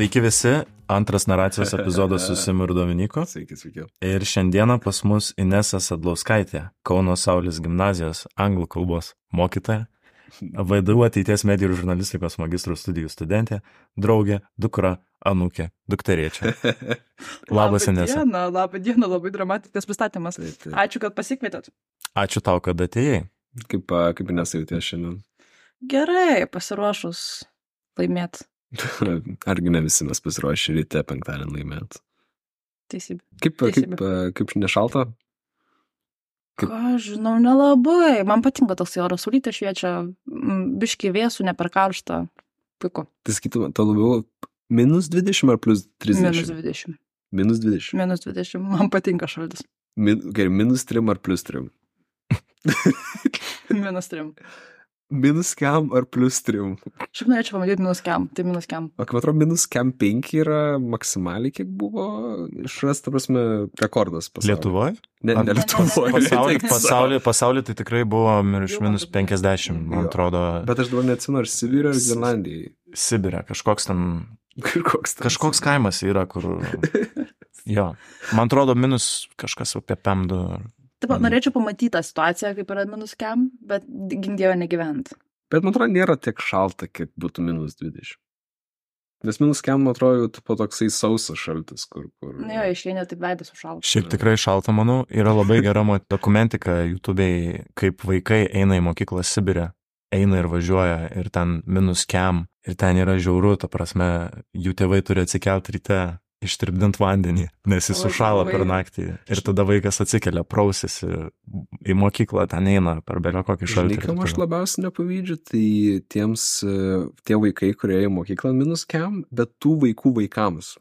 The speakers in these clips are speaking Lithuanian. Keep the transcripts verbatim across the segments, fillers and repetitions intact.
Sveiki visi, antras naracijos epizodas su Simu ir Dominiku. Sveiki, sveiki. Ir šiandieną pas mus Inesa Sadlauskaitė, Kauno Saulės gimnazijos anglų kalbos mokytoja, V D U ateities medijų ir žurnalistikos magistrų studijų studentė, draugė, dukra, anūkė, dukterėčia. Labas, Inesa. Labą dieną, labą dieną, labai dramatiškas pristatymas. Ačiū, kad pasikvietėt. Ačiū tau, kad atėjai. Kaip, kaip Inesa jautės šiandien? Gerai, pasiruošus laimėt. Argi ne visi mes pasiruošę ryte penktadienį laimėt? Teisybė. Kaip, Teisybė. kaip, kaip nešalta? Kaip... Ką, žinau, nelabai. Man patinka toks oras, saulutė šviečia, biški vėsų, ne per karštą. Puiku. Tai sakytum, to labiau minus dvidešimt ar plus trisdešimt? Minus dvidešimt. Minus dvidešimt. Minus dvidešimt. Man patinka šaltis. Min, gerai, minus trim ar plus trim? Minus trim. Minus kem ar plus trim? Šiaip norėčiau pamatyti minus kem, tai minus kem. O kaip atrodo, minus kem penki yra maksimaliai, kiek buvo išrasta, prasme, rekordas pasaulyje. Lietuvoje? Ne, ne Lietuvoje. Pasaulyje pasauly, pasauly tai tikrai buvo virš minus penkiasdešimt, man atrodo. Bet aš dabar neatsinu, ar Sibirė ar Grenlandijai. Sibirė, kažkoks ten... Kažkoks, kažkoks kaimas yra, kur... Jo, man atrodo, minus kažkas apie pem du. Taip, norėčiau pamatyti tą situaciją, kaip yra minus kem, bet gindėjo negyvent. Bet man atrodo, nėra tiek šalta, kiek būtų minus dvidešimt. Nes minus kem, man atrodo, po toksai sausas šaltis, kur... kur... Ne, jo, išėnė taip veidas sušalta. Šiaip tikrai šalta, manau, yra labai gera dokumentika YouTube'ai, kaip vaikai eina į mokyklą Sibirę, eina ir važiuoja, ir ten minus kem, ir ten yra žiauru, ta prasme, jų tėvai turi atsikelti ryte, ištirpdint vandenį, nes jis sušala per naktį. Ir tada vaikas atsikelia, prausėsi į mokyklą, ten eina per belio kokį šaltį. Žinai, kam aš labiausiai nepavydžiu, tai tiems, tie vaikai, kurie į mokyklą minus kem, bet tų vaikų vaikams.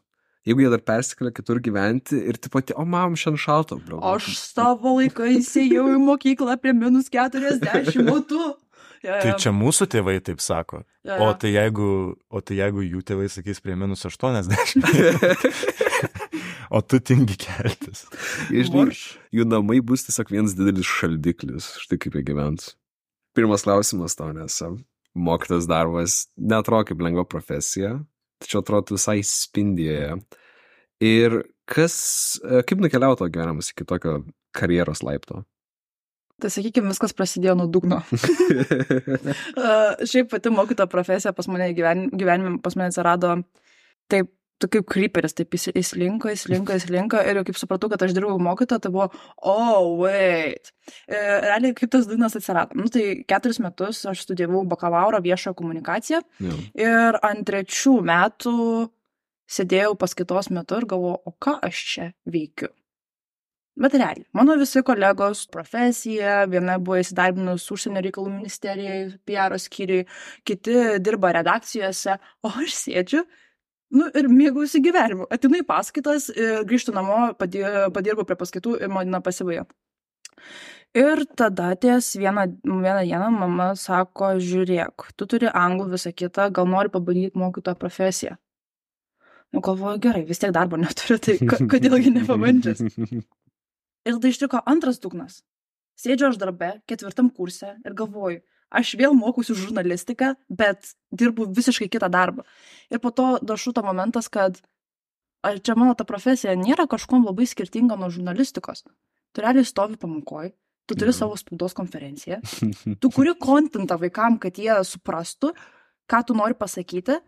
Jeigu jie dar persikelia kitur gyventi ir taip pat, o mam, šiandien šalta. Bro. Aš savo laiką įsėjau į mokyklą prie minus keturiasdešimt, o tu... Ja, ja. Tai čia mūsų tėvai taip sako. Ja, ja. O, tai jeigu, o tai jeigu jų tėvai sakys prie minus aštuoniasdešimt. O tu tingi keltis. Žinai, jų namai bus tiesiog vienas didelis šaldiklis. Štai kaip jie gyvens. Pirmas klausimas tau, nes mokytas darbas neatrodo kaip lengva profesija, tačiau atrodo visai spindėje. Ir kas, kaip nukeliavo to gyvenimas iki tokio karjeros laipto? Tai sakykime, viskas prasidėjo nuo dugno. uh, šiaip pati mokytojo profesija pas mane gyven, gyvenime pas mane atsirado taip, tu kaip creeperis, taip įslinko, įslinko, įslinko ir jau kaip supratau, kad aš dirbau mokytojo, tai buvo, oh, wait. E, realiai kaip tas dugnas atsirado. Nu, tai keturis metus aš studijavau bakalauro viešojo komunikaciją yeah. Ir ant trečių metų sėdėjau paskaitos metu ir galvojau, o ką aš čia veikiu? Bet realiai, mano visi kolegos profesija, viena buvo įsidarbinus užsienio reikalų ministerijai, P R skyriui, kiti dirba redakcijose, o aš sėdžiu, nu ir mėgaujuosi gyvenimu. Atinu į paskaitas, grįžtu namo, padirbu prie paskaitų ir man pasibaigia. Ir tada ties vieną, vieną dieną mama sako, žiūrėk, tu turi anglų visą kitą, gal nori pabandyti mokytojo profesiją. Nu, galvoju, gerai, vis tiek darbo neturiu, tai kodėlgi nepabandžias? Ir tada ištiko antras dugnas. Sėdžiu aš darbe, ketvirtam kurse ir galvoju, aš vėl mokusiu žurnalistiką, bet dirbu visiškai kitą darbą. Ir po to dašuto momentas, kad čia mano ta profesija nėra kažkuom labai skirtinga nuo žurnalistikos. Tu realiai stovi pamokoj, tu turi savo spaudos konferenciją, tu kuri kontentą vaikam, kad jie suprastų, ką tu nori pasakyti.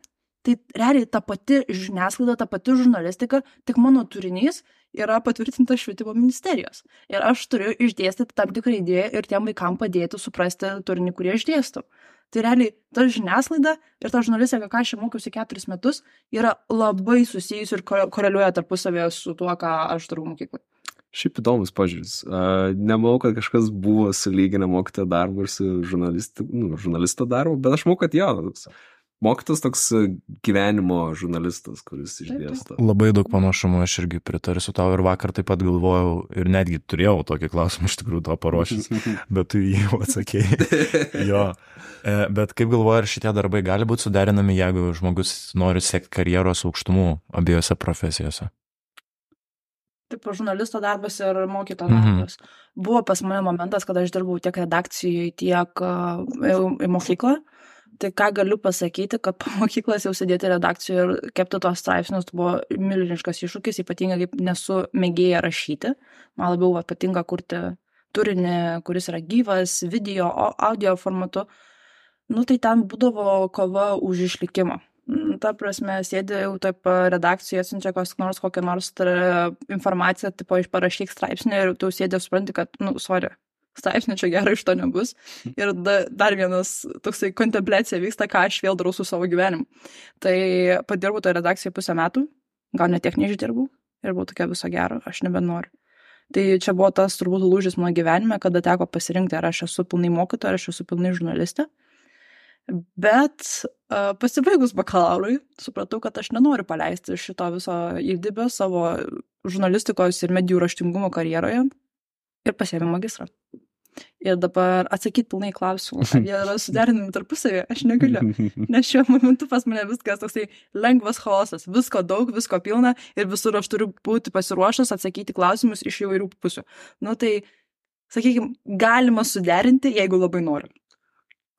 Tai realiai ta pati žiniasklaida, ta pati žurnalistika, tik mano turinys yra patvirtintas švietimo ministerijos. Ir aš turiu išdėstyti tam tikrą idėją ir tiem vaikam padėti suprasti turinį, kurį aš dėstau. Tai realiai ta žiniasklaida ir ta žurnalistika, ką aš mokiausi keturis metus, yra labai susijusi ir koreliuoja tarpusavėje su tuo, ką aš darau mokyklai. Šiaip įdomus požiūris. Uh, nemanau, kad kažkas buvo sulyginę mokytojo darbą ir su žurnalisto, nu, žurnalisto darbu, bet aš manau, kad jo, mokytas toks gyvenimo žurnalistas, kuris išdėsto. Labai daug panašumų, aš irgi pritarsiu tau ir vakar taip pat galvojau ir netgi turėjau tokį klausimą iš tikrųjų to paruošęs, bet tu jį jau atsakėjai. Jo. Bet kaip galvoju, ar šitie darbai gali būti suderinami, jeigu žmogus nori siekti karjeros aukštumų abiejose profesijose? Taip, žurnalisto darbas ir mokytojo darbas. Mhm. Buvo pas mane momentas, kad aš dirbau tiek redakcijoje, tiek į mokyklą. Tai ką galiu pasakyti, kad po mokyklos jau sėdėti redakcijoje ir kepti tos straipsnius buvo milžiniškas iššūkis, ypatingai kaip nesu mėgėja rašyti. Man labiau va, patinka kurti turinį, kuris yra gyvas, video, audio formatu. Nu, tai ten būdavo kova už išlikimą. Ta prasme, sėdė jau taip redakcijoje, atsiunčia kokios nors kokią nors informaciją, tipo, parašyk straipsnį ir tu sėdė supranti, kad, nu, sorry, straipsnį čia gerai iš to nebus. Ir da, dar vienas toksai kontempliacija vyksta, ką aš vėl darau su savo gyvenimu. Tai padirbau toje redakcijoje pusę metų, gal net tiek neišdirbau ir buvau tokia viso gero, aš nebenoriu. Tai čia buvo tas turbūt lūžis mano gyvenime, kada teko pasirinkti, ar aš esu pilnai mokytoja, ar aš esu pilnai žurnalistė. Bet uh, pasibaigus bakalaurui, supratau, kad aš nenoriu paleisti šito viso įdibio savo žurnalistikos ir medijų raštingumo karjeroje ir pasiėmiau magistrą. Ir dabar atsakyti pilnai klausimų, ar jie yra suderinami tarpusavėje, aš negaliu. Nes šiuo momentu pas mane viskas toksai lengvas chaosas, visko daug, visko pilna ir visur aš turiu būti pasiruošęs atsakyti klausimus iš įvairių pusių. Nu tai, sakykime, galima suderinti, jeigu labai noriu.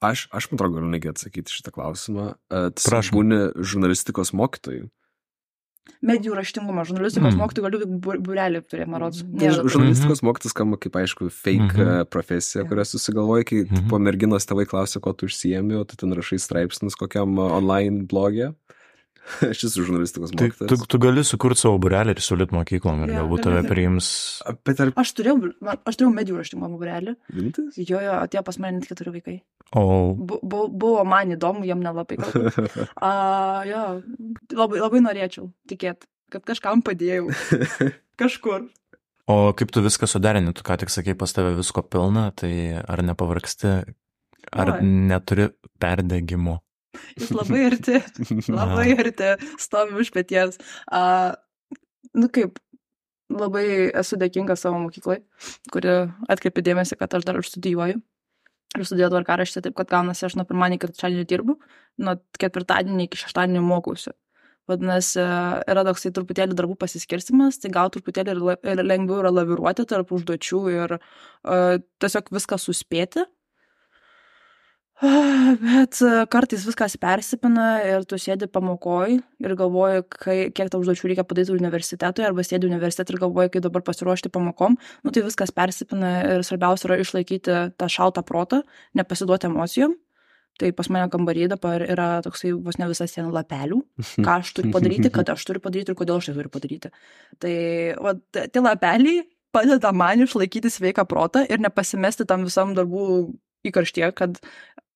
Aš, aš man atrodo, galiu negi atsakyti šitą klausimą. Tu būni žurnalistikos mokytojų. Medijų raštingumą, žurnalistikos mm. mokytojų galiu būrelį turėti, man rodos. Žurnalistikos mokytis skamba kaip, aišku, fake mm-hmm. profesija, kurią susigalvoji, kai mm-hmm. po merginos tėvai klausia, ko tu užsiemi, o tu ten rašai straipsnius kokiam online blogė. Aš esu žurnalistikos mokytojas. Tu, tu gali sukurti savo būrelį ir siūlyt mokyklom ir ja, galbūt tave priims. Ar... Aš turėjau, aš turėjau medijų raštingumo būrelį. Rimtas? Jo, jo, atėjo pas mane net keturi vaikai. O. Bu, bu, buvo man įdomu, jam nelabai galbūt. A, jo, labai, labai norėčiau tikėti, kad kažkam padėjau. Kažkur. O kaip tu viską suderini, tu ką tik sakei, pas tave visko pilna, tai ar nepavargsti, ar Oi. Neturi perdegimo? Jis labai arti, labai arti, stovi už peties. A, nu kaip, labai esu dėkinga savo mokyklai, kuri atkreipė dėmesį, kad aš dar studijuoju. Ir studijuoju tvarkaraštį, taip kad gaunasi, aš nuo pirmadienio iki trečiadienio dirbu, nuo ketvirtadienio iki šeštadienio mokausi. Vadinasi, yra toksai truputėlį darbų pasiskirstimas, tai gal truputėlį ir lengviau yra laviruoti tarp užduočių ir uh, tiesiog viską suspėti. Bet kartais viskas persipina ir tu sėdi pamokoj ir galvoji, kai, kiek tau užduočių reikia padaryti universitetui, arba sėdi universitetui ir galvoji, kaip dabar pasiruošti pamokom. Nu tai viskas persipina ir svarbiausia yra išlaikyti tą šaltą protą, nepasiduoti emocijom. Tai pas mane kambarį dabar yra toksai vos ne visas sienų lapelių, ką aš turiu padaryti, kada aš turiu padaryti ir kodėl aš tai turiu padaryti. Tai va, tie lapeliai padeda man išlaikyti sveiką protą ir nepasimesti tam visam darbų įkarštyje, kad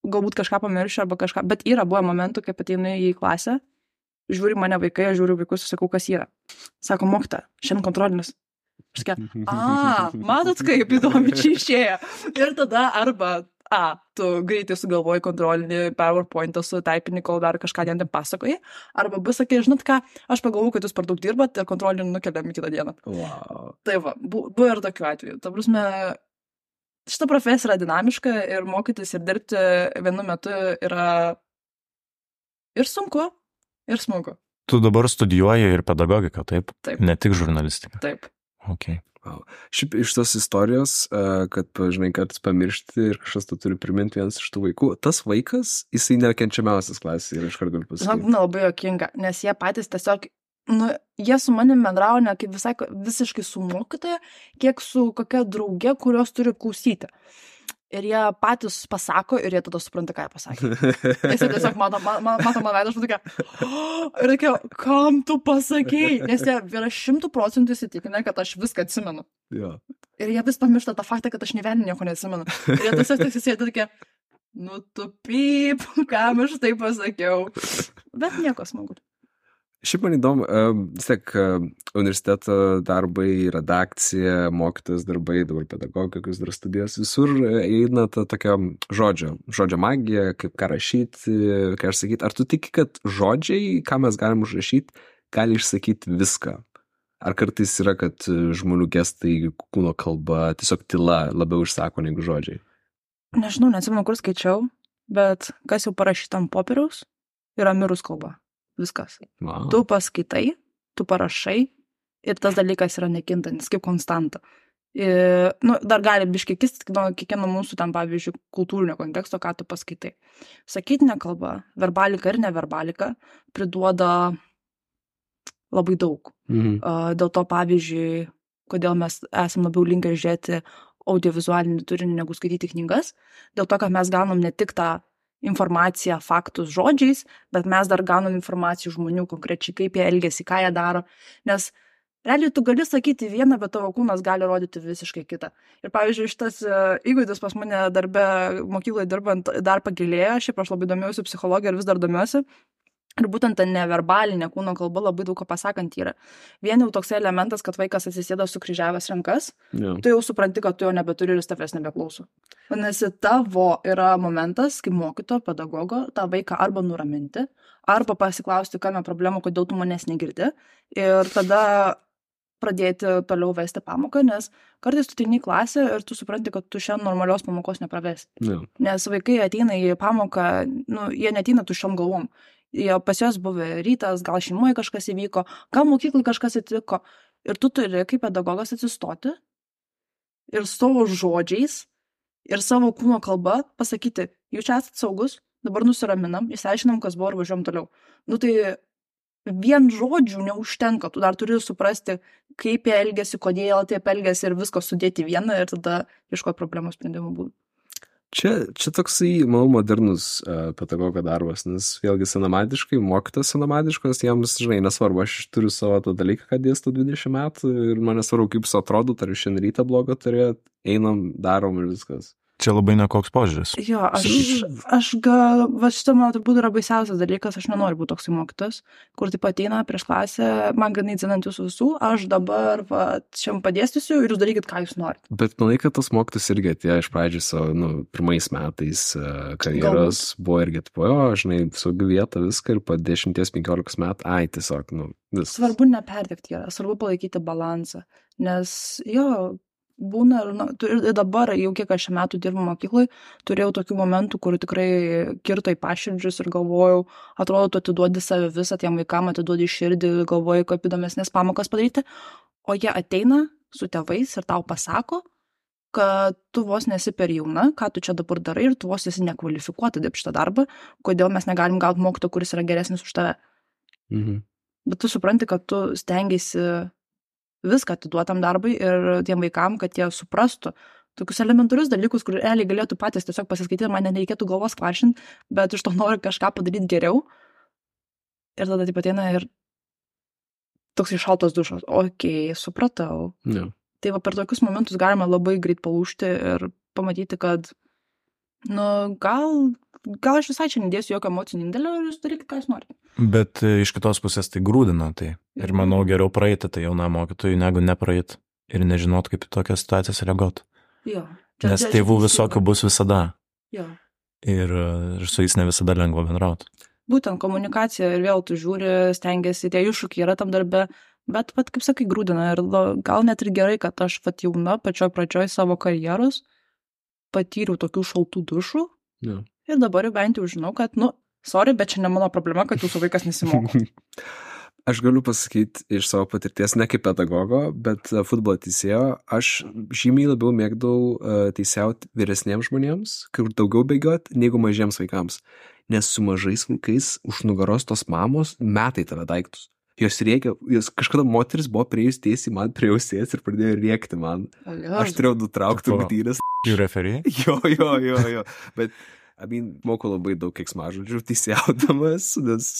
galbūt kažką pamiršiu arba kažką, bet yra buvo momentų, kai ateinu į klasę, žiūri mane vaikai, aš žiūriu vaikus ir sakau, kas yra. Sako, mokyta, šiandien kontrolinis. Aš sakiau, a, matot, kaip įdomi čia išėjo. Ir tada arba, a, tu greitai sugalvoji kontrolinį PowerPointą su taipinį, kol dar kažką ten pasakoji, arba bus, sakai, žinot ką, aš pagalvoju, kad jūs per daug dirbat ir kontrolinį nukeliam į kitą dieną. Wow. Tai va, bu, buvo ir tokiu atveju. Ta prasme, šita profesija yra dinamiška ir mokytis ir dirbti vienu metu yra ir sunku, ir smagu. Tu dabar studijuoji ir pedagogiką, taip? Taip. Ne tik žurnalistiką. Taip. Okay. Wow. Šiaip iš tos istorijos, kad, žinai, kartais pamiršti ir kažkas tu turi priminti vienas iš tų vaikų, tas vaikas, jisai nekenčiamiausias klasėje ir iš karto galiu pasakyti. Žinok, būna labai juokinga, nes jie patys tiesiog nu, jie su manim bendravo ne kaip visai, visiškai su mokytoja, kiek su kokia draugė, kurios turi klausyti. Ir jie patys pasako ir jie tada supranta, ką jie pasakė. Nes jie tiesiog mato, mato, mato man veidą, aš tokia, oh, ir reikia, kam tu pasakėjai? Nes jie yra šimtų procentų įsitikinę, kad aš viską atsimenu. Ja. Ir jie vis pamiršta tą faktą, kad aš nė vieną nieko neatsimenu. Ir jie tiesiog tiesiog sėdi tokia, nu tu pyp, kam aš tai pasakiau. Bet nieko smagu. Šiaip man įdomu, vis tiek universiteto darbai, redakcija, mokytojas darbai, dabar pedagogikos dar studijos, visur eina ta tokia žodžio, žodžio magija, kaip ką rašyti, ką aš sakyti. Ar tu tiki, kad žodžiai, ką mes galim užrašyti, gali išsakyti viską? Ar kartais yra, kad žmonių gestai, kūno kalba, tiesiog tyla labiau išsako negu žodžiai? Nežinau, neatsimenu, kur skaičiau, bet kas jau parašyta ant popieriaus, yra mirus kalba. Viskas. Wow. Tu paskaitai, tu parašai ir tas dalykas yra nekintantis, kaip konstanta. Ir, nu, dar gali biškai kisti, nu, kiekvieno mūsų ten, pavyzdžiui, kultūrinio konteksto, ką tu paskaitai. Sakytinė kalba, verbalika ir neverbalika priduoda labai daug. Mhm. Uh, dėl to, pavyzdžiui, kodėl mes esam labiau linkę žiūrėti audiovizualinį turinį negu skaityti knygas, dėl to, kad mes gaunam ne tik tą informaciją, faktus žodžiais, bet mes dar gaunam informaciją žmonių konkrečiai, kaip jie elgiasi, ką jie daro, nes realiai tu gali sakyti vieną, bet tavo kūnas gali rodyti visiškai kitą. Ir pavyzdžiui, šitas įgūdis pas mane darbe, mokykloje dirbant dar pagilėjo, šiaip aš labai domiausi psichologija ir vis dar domiuosi. Ir būtent ta neverbalinė kūno kalba labai daug ko pasakant yra. Vien jau toks elementas, kad vaikas atsisėda sukryžiavęs rankas, Jo. tu jau supranti, kad tu jo nebeturi ir jis tavęs nebeklauso. Vadinasi, tavo yra momentas, kai mokytojo, pedagogo, tą vaiką arba nuraminti, arba pasiklausti, kame problema, kodėl tu manęs negirdi. Ir tada pradėti toliau vesti pamoką, nes kartais tu ateini į klasę ir tu supranti, kad tu šiandien normalios pamokos nepravesi. Jo. Nes vaikai ateina į pamoką, nu, jie neteina tuščiom galvom. Jie pas juos buvo rytas, gal šeimoje kažkas įvyko, gal mokyklai kažkas atsitiko. Ir tu turi kaip pedagogas atsistoti ir savo žodžiais ir savo kūno kalba pasakyti, jūs čia esate saugus, dabar nusiraminam, išsiaiškinam, kas buvo ir važiuojam toliau. Nu tai vien žodžių neužtenka, tu dar turi suprasti, kaip jie elgesi, kodėl taip elgesi ir visko sudėti vieną ir tada ieškoti problemos sprendimų būdų. Čia, čia toksai, manau, modernus uh, pedagogo darbas, nes vėlgi senamadiškai, mokytas senamadiškos, jiems, žinai, nesvarbu, aš turiu savo tą dalyką, kad dėstu dvidešimt metų ir man nesvarbu, kaip su atrodo, ar šiandien rytą blogą turėt, einam, darom ir viskas. Čia labai nekoks požiūris. Jo, aš, aš gal, va šitą man turbūt yra baisiausias dalykas, aš nenoriu būti toksai mokytas, kur taip ateina prieš klasę, man ganai dzinant jūsų visų, aš dabar, va, šiam padėstysiu ir jūs darykit, ką jūs norite. Bet manai, kad tas mokytas irgi atėjo iš pradžių savo, nu, pirmais metais uh, karjeros Galbūt. Buvo irgi atpojo, žinai, saugi vieta viską ir po dešimties penkiolikos metų, ai, tiesiog, nu, vis. Svarbu neperdegti yra, svarbu palaikyti balansą, nes jo, būna, na, ir dabar, jau kiek aš metų dirbu mokyklai, turėjau tokių momentų, kur tikrai kirto į paširdžius ir galvojau, atrodo, tu atiduodi save visą, tiem vaikam atiduodi širdį, galvoju, kaip įdomesnės pamokas padaryti, o jie ateina su tėvais ir tau pasako, kad tu vos nesi per jauna, ką tu čia dabar darai ir tu vos esi nekvalifikuota dirbti šitą darbą, kodėl mes negalim gauti mokytojo, kuris yra geresnis už tave. Mhm. Bet tu supranti, kad tu stengiasi viską atiduotam darbui ir tiem vaikam, kad jie suprastų tokius elementarius dalykus, kur realiai galėtų patys tiesiog pasiskaityti, man nereikėtų galvos kvaršinti, bet iš to nori kažką padaryti geriau. Ir tada taip ateina ir toks šaltas dušas. Okei, supratau. Jo. Tai va per tokius momentus galima labai greit palūžti ir pamatyti, kad nu, gal, gal aš visai čia nedėsiu jokio emocinio indėlio ir jūs darykit, ką jūs norite. Bet iš kitos pusės tai grūdina tai. Ir manau, geriau praeiti tai jaunam mokytojui, negu nepraeiti ir nežinot, kaip į tokias situacijas reaguoti. Jo. Nes tėvų visokių bus visada. Jo. Ir, ir su jais ne visada lengva bendrauti. Būtent komunikacija ir vėl tu žiūri, stengiasi, tie iššūkiai yra tam darbe, bet, vat, kaip sakai, grūdina. Ir gal net ir gerai, kad aš vat jauna, pačioj pradžioj savo karjeros patyriau tokių šaltų dušų. Jo. Ir dabar jau bent jau žinau, kad, nu, sorry, bet čia ne mano problema, kad jūsų vaikas nesimoko. Aš galiu pasakyti iš savo patirties, ne kaip pedagogo, bet futbolo teisėjo, aš žymiai labiau mėgdavau uh, teisėjauti vyresniems žmonėms, kur daugiau bėgiot, negu mažiems vaikams. Nes su mažais vaikais už nugaros tos mamos metai tave daiktus. Jos rėkia, jos kažkada moteris buvo prieėjus tiesiai man prie ausės ir pradėjo rėkti man. Aš turėjau nutraukti rungtynes. Jų referijai? Jo, jo, jo, jo. Bet, I mean, moku labai daug keiksmažodžių teisėjaudamas, nes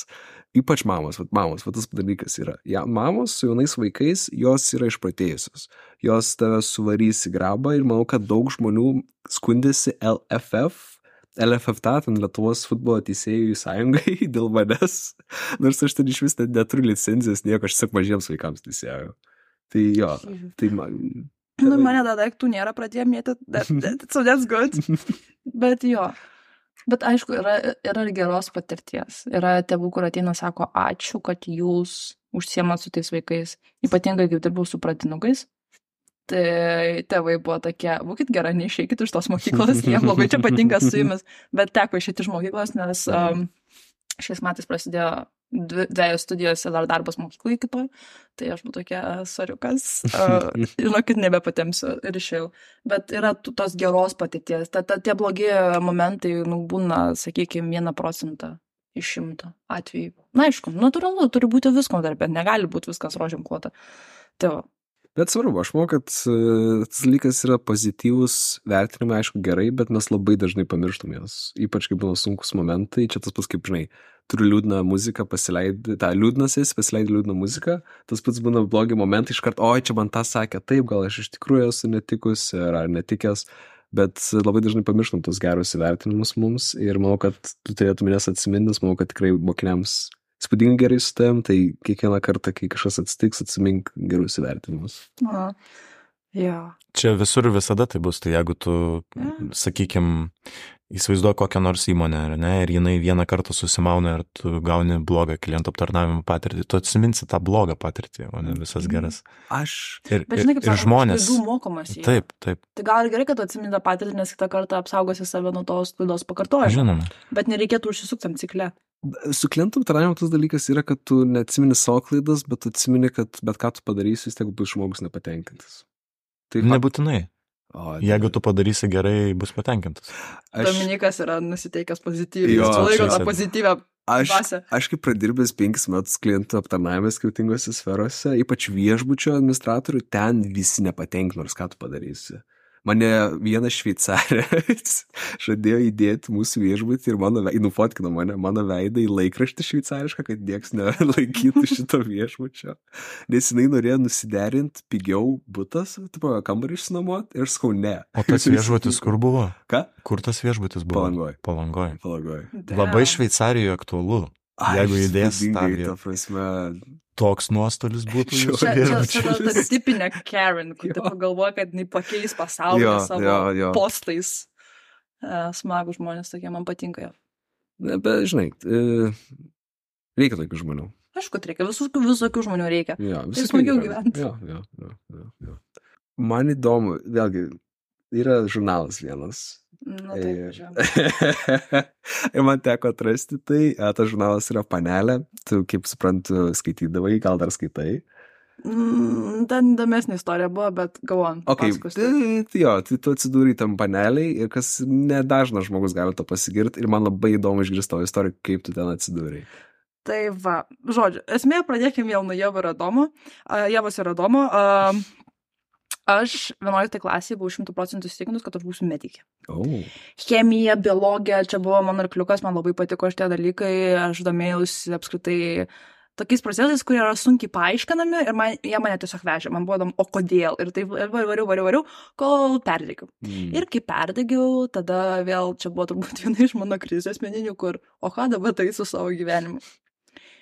ypač mamos, vat mamos, vat tas dalykas yra. Ja, mamos su jaunais vaikais, jos yra išprotėjusios. Jos tave suvarys į grabą ir manau, kad daug žmonių skundėsi L F F, L F F T, ten Lietuvos futbolo teisėjų sąjungai dėl manęs, nors aš ten iš vis neturiu licenzijos, nieko, aš tiesiog mažiems vaikams teisėjau. Tai jo, tai man... Nu, mane dar daiktų nėra pradėję mėti, that, that, so that's good. Bet jo. Bet aišku, yra, yra ir geros patirties. Yra tėvų, kur ateina, sako, ačiū, kad jūs užsiemat su tais vaikais. Ypatingai, kaip dirbau su pratinukais. Tai tėvai buvo tokie, būkit gerai, neišeikit iš tos mokyklos, jiems labai čia patinka su jumis. Bet teko išėti iš mokyklos, nes um, šiais metais prasidėjo dvi, dviejos studijos ir dar darbas mokyklai kitoj, tai aš buvau tokia soriukas, uh, žinokit, nebepatemsiu ir išėjau. Bet yra tų, tos geros patirties, ta, ta, tie blogi momentai, nu, būna, sakykime, vieną procentą iš šimto atvejų. Na, aišku, natūralu, turi būti visko darbė, negali būti viskas rožėm klota. Tai va. Bet svarbu, aš manau, kad uh, tas dalykas yra pozityvus, vertinimai, aišku, gerai, bet mes labai dažnai pamirštam jas. Ypač, kai būna sunkus momentai, čia tas pats, kaip žinai, turiu liūdną muziką, pasileidai, tą liūdnasis, pasileidai liūdną muziką, tas pats būna blogi momentai, iškart, oi, čia man tą sakė, taip, gal aš iš tikrųjų esu netikus ar, ar netikęs, bet labai dažnai pamirštam tos gerus įvertinimus mums ir manau, kad tu turėtum jas atsimintis, manau, kad tikrai mokiniams spūdingai gerai su tavim, tai kiekvieną kartą, kai kažkas atsitiks, atsimink gerus įvertinimus. Na, ja. Čia visur visada tai bus, tai jeigu tu, ja. sakykim, įsivaizduoji kokią nors įmonę, ne, ir jinai vieną kartą susimauna ir tu gauni blogą klientų aptarnavimo patirtį, tu atsiminsi tą blogą patirtį, o ne visas geras. Aš... Ir, Bet žinai, kaip ir sako, žmonės... klaidų mokomas į. Taip, taip. Tai gal gerai, kad tu atsimini tą patirtį, nes kitą kartą apsaugosi save nuo tos klaidos pakartojimo. Žinoma. Bet nereikėtų užsisukti tam cikle. Su klientų aptarnavimu tas dalykas yra, kad tu neatsimini savo klaidas, bet tu atsimini, kad bet ką tu padarysi, vis tiek bus žmogus nepatenkintas. Tai nebūtinai. O, jeigu tu padarysi gerai, bus patenkintas. Aš... Dominikas yra nusiteikęs pozityviai. Jo, Jis laiko tą čia- pozityvę Aš, dvasią. aš kaip pradirbęs penkis metus klientų aptarnavime skirtingose sferose, ypač viešbučio administratorių, ten visi nepatenkino, nors ką tu padarysi. Mane viena šveicarė žadėjo įdėti mūsų viešbutį ir mano veidą, nufotkino mane, mano veidą į laikraštį šveicarišką, kad nieks nelaikytų šito viešbučio. Nes jinai norėjo nusiderinti pigiau butas, tipo, kambarį išsinuomoti ir sakau ne. O tas viešbutis kur buvo? Ką? Kur tas viešbutis buvo? Palangoj. Palangoj. Palangoj. Labai Šveicarijoje aktualu. Jeigu įdės tą įspūdingai, vietą. ta prasme, Toks nuostolis būtų Čia- jūsų Čia, čia, viešbučiui. čia ta, ta tipinė Karen, kur tu pagalvoja, kad jinai pakeis pasaulį Jo, savo jo, jo. postais. E, Smagų žmonės tokie, man patinka jo. ne, bet žinai, e, reikia tokių žmonių. Aišku, kad reikia, visokių, visokių žmonių reikia. Jo, Tai visokių smagiau yra. gyventi. Jo, jo, jo, jo, jo. Man įdomu, vėlgi, yra žurnalas vienas. Na taip, Ir- važiuojam. ir man teko atrasti tai, e, tas žurnalas yra Panelė, tu, kaip suprantu, skaitydavai, gal dar skaitai. Mm, Ten įdomesnė istorija buvo, bet galvon. Ok, tai, tai jo, tai tu atsidūrai tam Paneliai ir kas nedažnas žmogus gali to pasigirti ir man labai įdomu išgirsti tavo istoriją, kaip tu ten atsidūrai. Tai va, žodžiu, esmė pradėkime vėl nuo Jevo ir Adomo. Uh, Jevos ir Adomo. Uh, aš vienuoliktai klasėje buvau šimtų procentų įsitikinus, kad aš būsiu medikė. Oh. Chemija, biologija, čia buvo mano arkliukas, man labai patiko šitie dalykai, aš domėjausi apskritai tokiais procesais, kurie yra sunkiai paaiškinami ir man, jie mane tiesiog vežė, man buvo įdomu, o kodėl, ir taip variau, variau, variau, kol perdegiau. Mm. Ir kai perdegiau, tada vėl čia buvo turbūt viena iš mano krizės asmeninių, kur, o ką dabar tai su savo gyvenimu.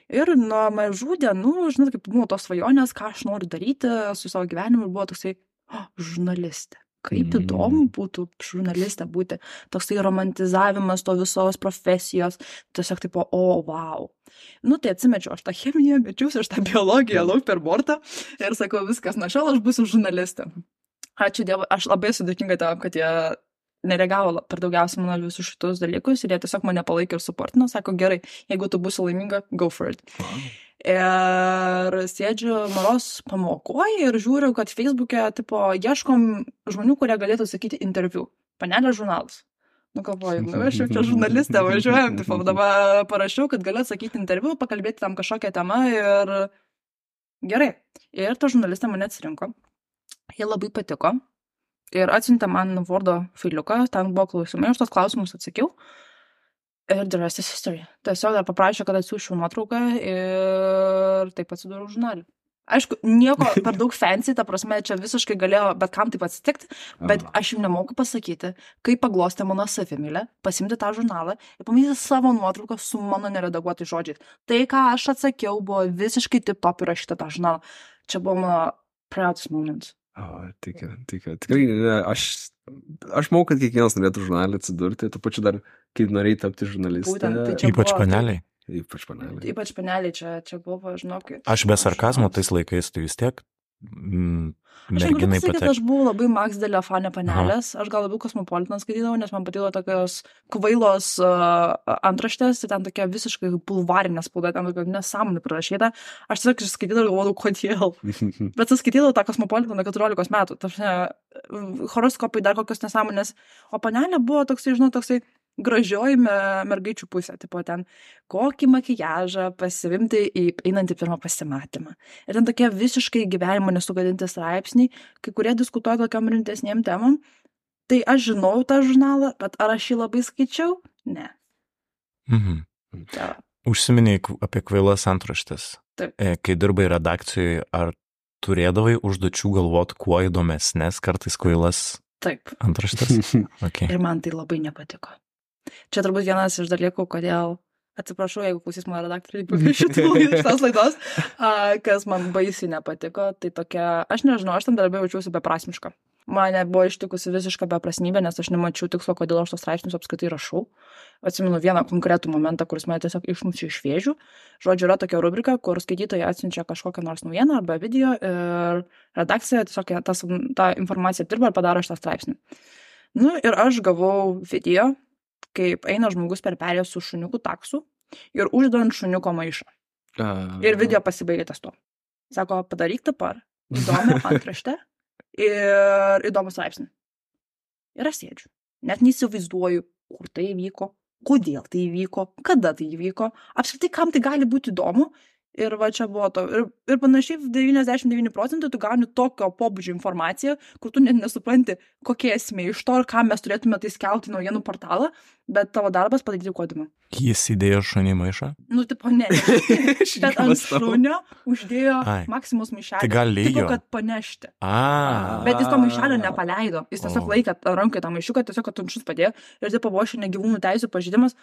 Ir nuo mažų dienų, žinot, kaip buvo tos svajonės, ką aš noriu daryti su savo gyvenimu, ir buvo toksai, o, žurnalistė. Kaip Mm. įdomu būtų žurnalistė būti. Toksai romantizavimas to visos profesijos. Tiesiog taip, o, wow. Nu, tai atsimečiau, aš tą chemiją, mečiausi, aš tą biologiją lauk per bortą ir sakau, viskas, na šiol aš būsiu žurnalistė. Ačiū Dievui, aš labai sudėkinga tam, kad jie nereagavo per daugiausiai mano visus šitus dalykus ir jie tiesiog mane palaikė ir suportino, sako, gerai, jeigu tu būsi laiminga, go for it. Ir sėdžiu maros pamokoje ir žiūriu, kad Facebook'e, tipo, ieškom žmonių, kurie galėtų sakyti interviu. Panelė žurnalas. Nu, galvoju, nu, aš jau čia žurnalistė, važiuojam, tipo, dabar parašiau, kad galiu atsakyti interviu, pakalbėti tam kažkokią temą ir gerai. Ir ta žurnalistė mane atsirinko. Jie labai patiko. Ir atsiuntė man Wordo failiuką, ten buvo klausimai, aš tos klausimus atsakiau. Ir the rest is history. Tiesiog dar paprašė, kad atsiųsčiau nuotrauką ir taip atsidūriau žurnalį. Aišku, nieko per daug fancy, ta prasme, čia visiškai galėjo bet kam taip atsitikti, bet Aha. aš jau nemoku pasakyti, kaip paglostė mano savimylę, pasimti tą žurnalą ir pamatyti savo nuotrauką su mano neredaguotais žodžiais. Tai, ką aš atsakiau, buvo visiškai tip top įrašyta tą žurnalą. Čia buvo mano proudest moments. O, tikiu, tikiu. Tikrai, ne, aš, aš manau, kad kiekvienas norėtų žurnalį atsidurti, tu pačiu dar, kaip norėjai tapti žurnalistė. Būtent, tai čia Ypač buvo- paneliai. Ypač Panelė. Ypač paneliai čia, čia buvo, žinok. Aš be sarkazmo tais laikais, tai vis tiek mm, Aš negaliu merginai pasakyti, kad patekti. aš buvau labai Max Delio fanė panelės, aš gal labiau Cosmopolitan skaitydavau, nes man patiko tokios kvailos uh, antraštės, ir ten tokia visiškai bulvarinė spauda, ten tokia nesąmonė prirašyta. Aš tiesiog skaitydavau ir galvodavau, kodėl. Bet aš skaitydavau tą Cosmopolitan nuo keturiolikos metų, tarsi horoskopai dar kokios nesąmonės, o panelė buvo toksai, žinau, toksai gražioji mergaičių pusė, tipo ten kokį makijažą pasivimti į einantį pirmą pasimatymą. Ir ten tokie visiškai gyvenimo nesugadinti straipsniai, kai kurie diskutuoja tokiam rimtesniem temam. Tai aš žinau tą žurnalą, bet ar aš jį labai skaičiau? Ne. Mhm. Ta. Užsiminiai apie kvailas antraštės. Taip. Kai dirbai redakcijoje, ar turėdavai užduočių galvoti, kuo įdomesnės kartais kvailas Taip. antraštės? Okay. Ir man tai labai nepatiko. Čia turbūt vienas iš dalykų, kodėl, atsiprašau, jeigu klausys mano redaktoriai šitų šitos laidos, kas man baisiai nepatiko, tai tokia, aš nežinau, aš tam darbė jaučiausi beprasmiška. Mane buvo ištikusi visiška beprasmybė, nes aš nemačiau tikslo, kodėl aš tos straipsnius apskritai rašau. Atsimenu vieną konkretų momentą, kuris mane tiesiog išmušė iš vėžių. Žodžiu, yra tokia rubrika, kur skaitytojai atsiunčia kažkokią nors naujieną arba video ir redakcija tiesiog tas, tą informaciją dirba ir padaro šitą straipsnį. Nu ir aš gavau video, kaip eina žmogus per perėją su šuniuku taksu ir uždant šuniuko maišą. Uh... Ir video pasibaigė ties to. Sako, padaryk dabar įdomią antraštę ir įdomų straipsnį. Ir aš sėdžiu. Net neįsivaizduoju, kur tai įvyko, kodėl tai įvyko, kada tai įvyko, apskritai kam tai gali būti įdomu. Ir va čia buvo to. Ir, ir panašiai devyniasdešimt devyni procentai tu gauni tokio pobūdžio informaciją, kur tu net nesupranti, kokie esmė iš to ir ką mes turėtume tai skelbti naujienų portalą, bet tavo darbas padaryti kodimą. Jis įdėjo šunį maišą? Nu, tipo, ne. Bet ant šunio uždėjo Ai. Maximus maišelį. Tai gal lyjo? Tipo, kad panešti. A. Bet jis to maišelio nepaleido. Jis tiesiog O. laikė rankai tą maišiuką, tiesiog, kad šuns padėjo. Ir tai buvo šiandien gyvūnų teisų pažeidimas.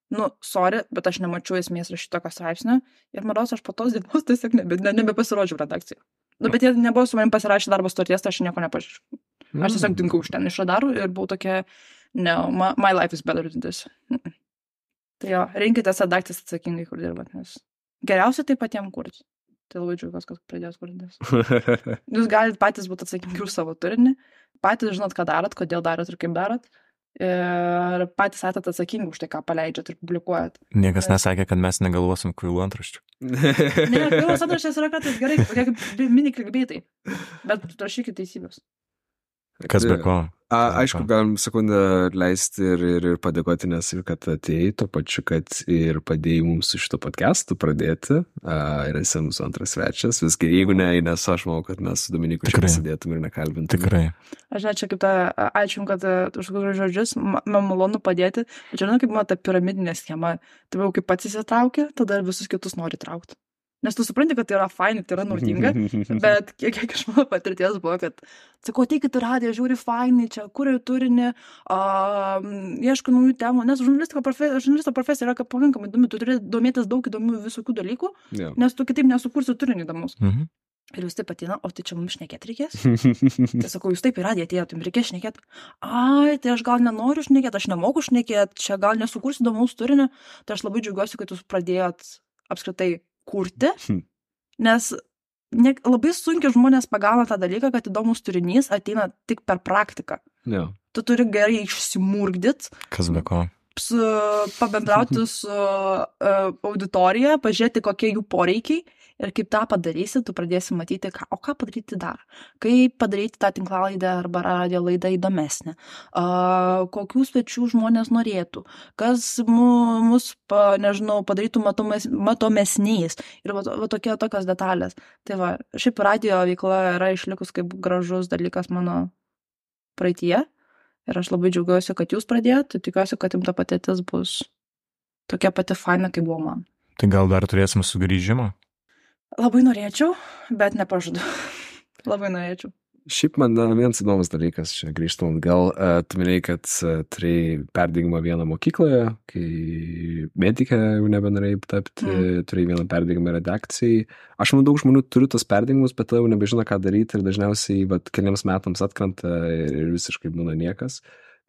Nu, sorry, bet aš nemačiau esmės rašyti tokio straipsnio. Ir maros, aš po tos dienos tiesiog nebe, ne, nebepasirodžiau redakcijai. Nu, bet jie nebuvo su manim pasirašę darbo sutarties, tai aš nieko nepažiūrėjau. Aš tiesiog dinkau iš ten iš radarų ir buvau tokia, no, my, my life is better than this. Tai jo, rinkitės redakcijas atsakingai, kur dirbat, nes geriausia tai patiems kurti. Tai labai džiaugiuosi, kad pradėjus kurtis. Jūs galite patys būti atsakingi už savo turinį, patys žinot, ką darot, kodėl darot ir kaip darot. Ir patys esat atsakingi už tai, ką paleidžiat ir publikuojat. Niekas nesakė, kad mes negalvosim kvailų antraščių. Ne, kvailos antraštės yra kartais gerai, tokie kaip mini klikbeitai. Bet rašykit teisybės. Kas be ko? A, aišku, galim sekundę leisti ir, ir, ir padėkoti, nes ir kad atėjai, to pačiu, kad ir padėjai mums su šito podcastu pradėti. A, ir esi mūsų antras svečias. Visgi, jeigu ne, nes aš manau, kad mes su Dominiku čia pasidėtum ir nekalbintum. Tikrai. Aš net čia kaip tą, ačiū, kad už kokius žodžius, man malonu padėti. Bet žinau, kaip man ta piramidinė schema. Tai jau kaip pats įsitraukia, tada visus kitus nori traukti. Nes tu supranti, kad tai yra fainai, tai yra naudinga, bet kiek, kiek iš mano patirties buvo, kad sakau, ateikit į radiją, žiūri fainai, čia kuriu turinį, uh, ieško naujų temų, nes žurnalisto profesija, žurnalisto profesija yra pakankamai įdomi, tu turi domėtis daug įdomių visokių dalykų, yeah. Nes tu kitaip nesukursi turinį įdomus. Mhm. Ir jūs taip ateina, o tai čia mums šnekėti reikės? Tai sakau, jūs taip į radiją atėjot, jums reikės šnekėti. Ai, tai aš gal nenoriu šnekėti, aš nemoku šnekėti, čia gal nesukursi įdomaus turinį, tai aš labai džiaugiuosi, kad jūs pradėjot apskritai kurti, nes ne, labai sunkiai žmonės pagauna tą dalyką, kad įdomus turinys ateina tik per praktiką. Yeah. Tu turi gerai išsimurgdyti. Kas be ko? Su, pabendrauti su uh, auditorija, pažiūrėti, kokie jų poreikiai ir kaip tą padarysi, tu pradėsi matyti, ką, o ką padaryti dar, kaip padaryti tą tinklalaidę arba radio laidą įdomesnę, uh, kokių svečių žmonės norėtų, kas mu, mus, pa, nežinau, padarytų matomes, matomesniais ir va, va tokie tokios detalės. Tai va, šiaip radio veikla yra išlikus kaip gražus dalykas mano praeityje. Ir aš labai džiaugiuosi, kad jūs pradėjot, tikiuosi, kad jums ta patirtis bus tokia pati faina, kaip buvo man. Tai gal dar turėsim sugrįžimą? Labai norėčiau, bet nepažadu. Labai norėčiau. Šiaip man vienas įdomus dalykas, čia grįžtant, gal uh, tu minėjai, kad uh, turėjai perdegimą vieną mokykloje, kai medikė jau nebenorėjai tapti, mm. turėjai vieną perdegimą redakcijai. Aš manau, daug žmonių turi tos perdegimus, bet jau nebežino, ką daryti ir dažniausiai vat, keliams metams atkrenta ir visiškai būna niekas.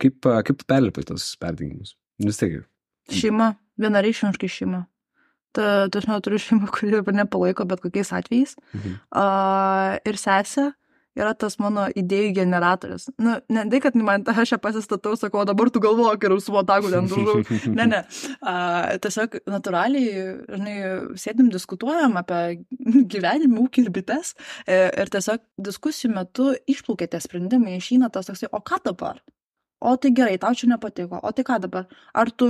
Kaip, uh, kaip tu perlipai tos perdegimus? Vis tiek. Šeima, vienareikšmiškai šeima. Ta, ta aš neturiu šeimą, kuri mane palaiko bet kokiais atvejais. Mhm. Uh, ir sesė yra tas mano idėjų generatorius. Nu, ne tai, kad man aš ją pasistatau, sakau, dabar tu galvok ir su botagu ten dužau. Ne, ne. Uh, tiesiog natūraliai, žinai, sėdim, diskutuojam apie gyvenimą, ūkį ir bites. Ir tiesiog diskusijų metu išplaukia tie sprendimai, išeina tas toksai, o ką dabar? O tai gerai, tau čia nepatiko, o tai ką dabar? Ar tu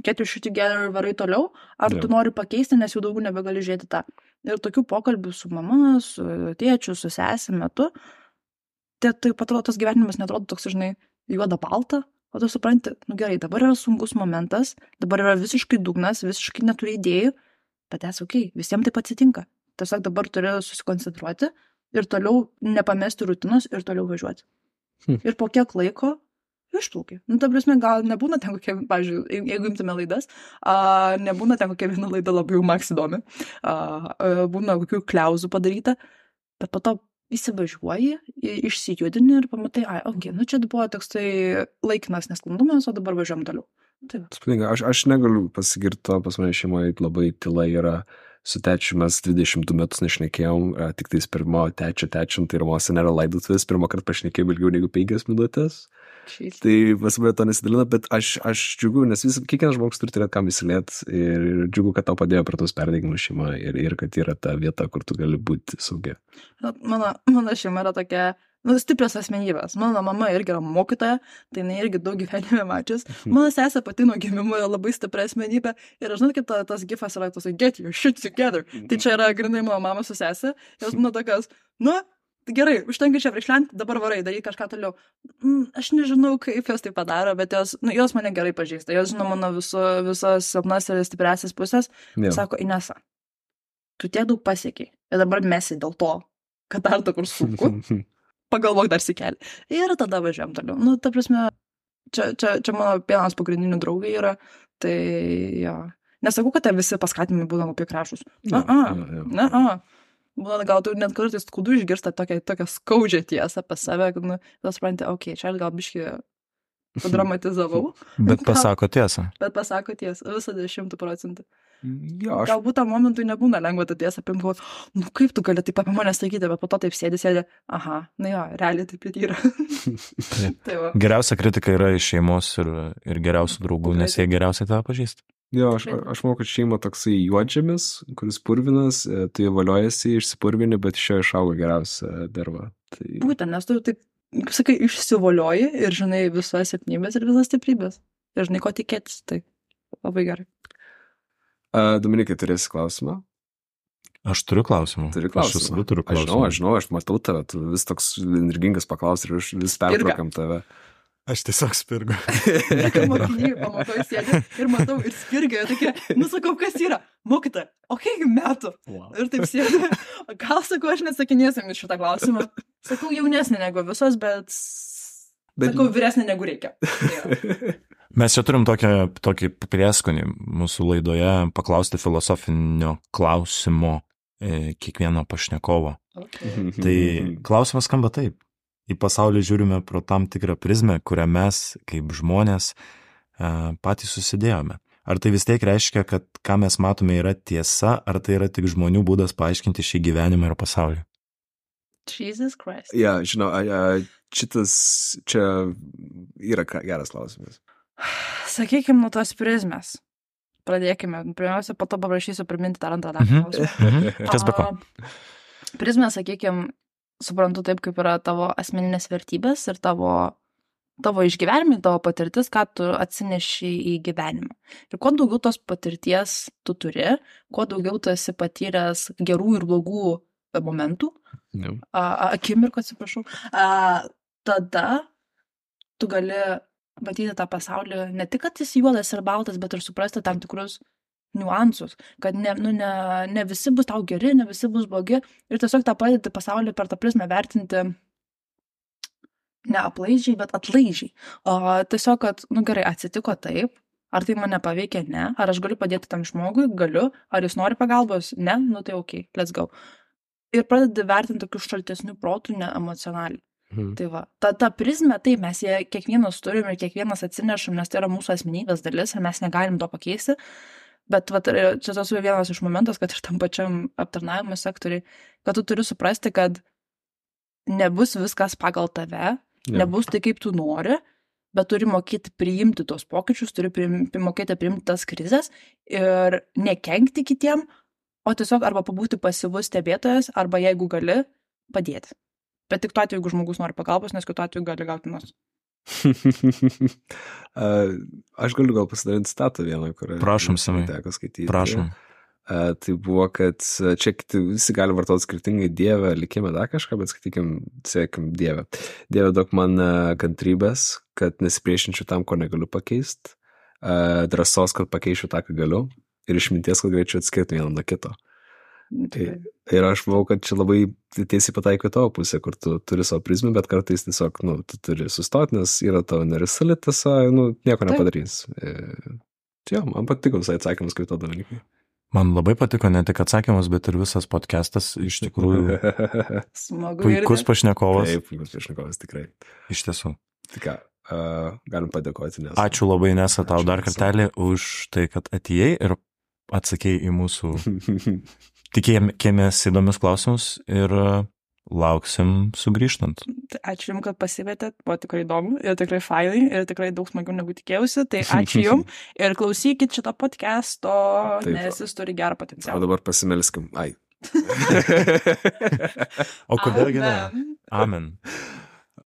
get your shit together ir varai toliau, ar Jo. tu nori pakeisti, nes jau daugiau nebegali žiūrėti tą. Ir tokių pokalbių su mama, su tėčiu, su sesė metu, tai taip atrodo, tas gyvenimas netrodo toks, žinai, juoda balta, o tu supranti, nu gerai, dabar yra sunkus momentas, dabar yra visiškai dugnas, visiškai neturi idėjų, bet esi okei, okay, visiems taip atsitinka. Tiesiog dabar turi susikoncentruoti ir toliau nepamesti rutinos ir toliau važiuoti. Hm. Ir po kiek laiko išplaukia. Nu, ta prasme, gal nebūna ten kokia, pavyzdžiui, jeigu imtume laidas, a, nebūna ten kokia viena laida labai jau maks įdomi, a, a, būna kokių kliauzų padaryta, bet po to įsivažiuoji, i- išsijudini ir pamatai, ai, okei, okay, nu čia buvo toks tai laikinas nesklandumas, o dabar važiuojam toliau. Tai va. Spūdinga, aš, aš negaliu pasigirti to, pas mane šeimoje labai tyla yra. Su tečiu mes dvidešimt du metus nešnekėjom, a, tik tais pirmo tečio tečiant, tai Romose nėra laidotuvės, pirmą kartą pašnekėjom ilgiau negu penkias minutės. Šiais. Tai pas mane to nesidalina, bet aš, aš džiugu, nes vis, kiekvienas žmogus turi turėti kam įsilėti ir džiugu, kad tau padėjo prie tos perdegimus šeima ir, ir kad yra ta vieta, kur tu gali būti saugi. Mano, mano šeima yra tokia, nu, stiprios asmenybės. Mano mama irgi yra mokytoja, tai jinai irgi daug gyvenime mačius. Mano sesė pati nuo gimimo yra labai stipri asmenybė ir aš žinau, kaip ta, tas gifas yra tos, get your shit together. Tai čia yra grinai mano mama su sesė. Jos būna tokios, nu, gerai, užtenka čia priešlenti, dabar varai, daryk kažką toliau. Mm, aš nežinau, kaip jos tai padaro, bet jos, nu, jos mane gerai pažįsta. Jos žino mano viso, visas silpnas ir stipriasis pusės. Jo. Sako, Inesa, tu tiek daug pasiekiai ir dabar mesi dėl to, kad dar to kur sunku. Pagalvok dar sikelį. Ir tada važiuojam toliau. Nu, ta prasme, čia, čia, čia mano vienas pagrindinių draugai yra, tai jo. Nesakau, kad te visi paskatinimai būna labai krašus. Na, a, Jo, jo. na, a. Būna, gal tu net kartais skudų išgirsta tokią, tokią skaudžią tiesą apie save, kad, nu, tu supranti, okei, okay, čia aš gal biškį padramatizavau, Bet pasako tiesą. bet pasako tiesą, visada šimtų procentų. Jo, aš Galbūt tam momentui nebūna lengva tą tiesą apimti, galvot, nu kaip tu gali taip apie mane sakyti, bet po to taip sėdi, sėdi, aha, na jo, realiai taip ir yra. Tai va. Geriausia kritika yra iš šeimos ir, ir geriausių draugų, nes jie geriausiai tave pažįsta. Jo, aš, aš manau, kad šeima toksai juodžemis, kuris purvinas, e, tai valiojasi, išsipurvini, bet iš jo išauga geriausia derva. Tai... Būtent, nes tu taip, kaip sakai, išsivolioji ir žinai visas silpnybės ir visas stiprybės. Ir žinai, ko tikėtis, tai labai gerai. A, Dominikai, turėsi klausimą? Aš turiu klausimų. Turi Aš klausimą. visada turiu Aš žinau, klausimų. aš žinau, aš matau tave, tu vis toks energingas paklausi ir aš vis pertraukam tave. Aš tiesiog spirgu. Kai mokiniai pamokoje sėdi ir matau ir spirgia, tokie, nu sakau, kas yra? Mokytoja, o kiek metų? Wow. Ir taip sėdi. Gal sakau, aš nesakinėsiu jums šitą klausimą. Sakau, jaunesnė negu visos, bet, Bet- sakau, vyresnė negu reikia. Tai jo. Mes čia turim tokią, tokį prieskonį mūsų laidoje paklausti filosofinio klausimo e, kiekvieno pašnekovo. Okay. Tai klausimas skamba taip. Į pasaulį žiūrime pro tam tikrą prizmę, kurią mes, kaip žmonės, e, patys susidėjome. Ar tai vis tiek reiškia, kad ką mes matome yra tiesa, ar tai yra tik žmonių būdas paaiškinti šį gyvenimą ir pasaulį? Jesus Christ. Ja, žinau, a, a, šitas čia yra ka- geras klausimas. Sakykime, nuo tos prizmės. Pradėkime. Pirmiausia, po to paprašysiu priminti dar antrą dalį. Mhm. klausimą. Mhm. Kas be ko? A, Prizmė, sakykime, suprantu taip, kaip yra tavo asmeninės vertybės ir tavo, tavo išgyvenimai, tavo patirtis, ką tu atsineši į gyvenimą. Ir kuo daugiau tos patirties tu turi, kuo daugiau tu esi patyręs gerų ir blogų momentų, Ja. a, a, akimirkų, atsiprašau, a, tada tu gali matyti tą pasaulį, ne tik, kad jis juodas ir baltas, bet ir suprasti tam tikrus niuansus, kad ne, nu, ne, ne visi bus tau geri, ne visi bus blogi ir tiesiog tą padėti pasaulį per tą prizmę vertinti ne aplaidžiai, bet atlaidžiai. O tiesiog, kad, nu gerai, atsitiko taip, ar tai mane paveikia, ne, ar aš galiu padėti tam žmogui, galiu, ar jis nori pagalbos, ne, nu tai ok, let's go. Ir pradedi vertinti tokius šaltesnių protų, ne emocionaliai. Mhm. Tai va, ta, ta prizmė, taip, mes ją kiekvienas turim ir kiekvienas atsinešam, nes tai yra mūsų asmenybės dalis ir mes negalim to pakeisti. Bet vat, čia tas vienas iš momentas, kad ir tam pačiam aptarnavimo sektoriai, kad tu turi suprasti, kad nebus viskas pagal tave, Jo. nebus tai, kaip tu nori, bet turi mokėti priimti tos pokyčius, turi priim, mokėti priimti tas krizės ir nekenkti kitiem, o tiesiog arba pabūti pasyvus stebėtojas, arba jeigu gali, padėti. Bet tik tuo atveju, jeigu žmogus nori pagalbos, nes kitu atveju gali gauti nus. uh, aš galiu gal pasidalinti citatą vieną, kurią Prašom, Simai. teko skaityti. Prašom. Uh, tai buvo, kad čia kiti, visi gali vartoti skirtingai Dievę, likime dar kažką, bet skaitykim, siekim Dievę. Dieve duok man uh, kantrybės, kad nesipriešinčiau tam, ko negaliu pakeisti, uh, drąsos, kad pakeičiau tą, ką galiu, ir išminties, kad galėčiau atskirti vieną nuo kito. Tai, ir aš manau, kad čia labai tiesiai pataiko tavo pusę, kur tu turi savo prizmę, bet kartais tiesiog, nu, tu turi sustoti, nes yra tavo nerisali tiesa, nu, nieko nepadarys. E, čia, man patiko visai atsakymas, kaip to dalykai. Man labai patiko ne tik atsakymas, bet ir visas podcastas, iš tikrųjų. Smagu. Puikus pašnekovas. Taip, puikus pašnekovas, tikrai. Iš tiesų. Tik ką, uh, galim padėkoti, nes... Ačiū labai, Nesa, tau Ačiū, dar Nesa. kartelį už tai, kad atėjai ir atsakėjai į mūsų tikėjomės įdomius klausimus ir lauksim sugrįžtant. Ačiū Jums, kad pasivietėt, buvo tikrai įdomu ir tikrai failai ir tikrai daug smagiau negu tikėjausi, tai ačiū Jums ir klausykit šito podcast'o, Taip. nes jis turi gerą O potencialą. dabar pasimelskim. Ai. O kodėl Amen. geriau? Amen.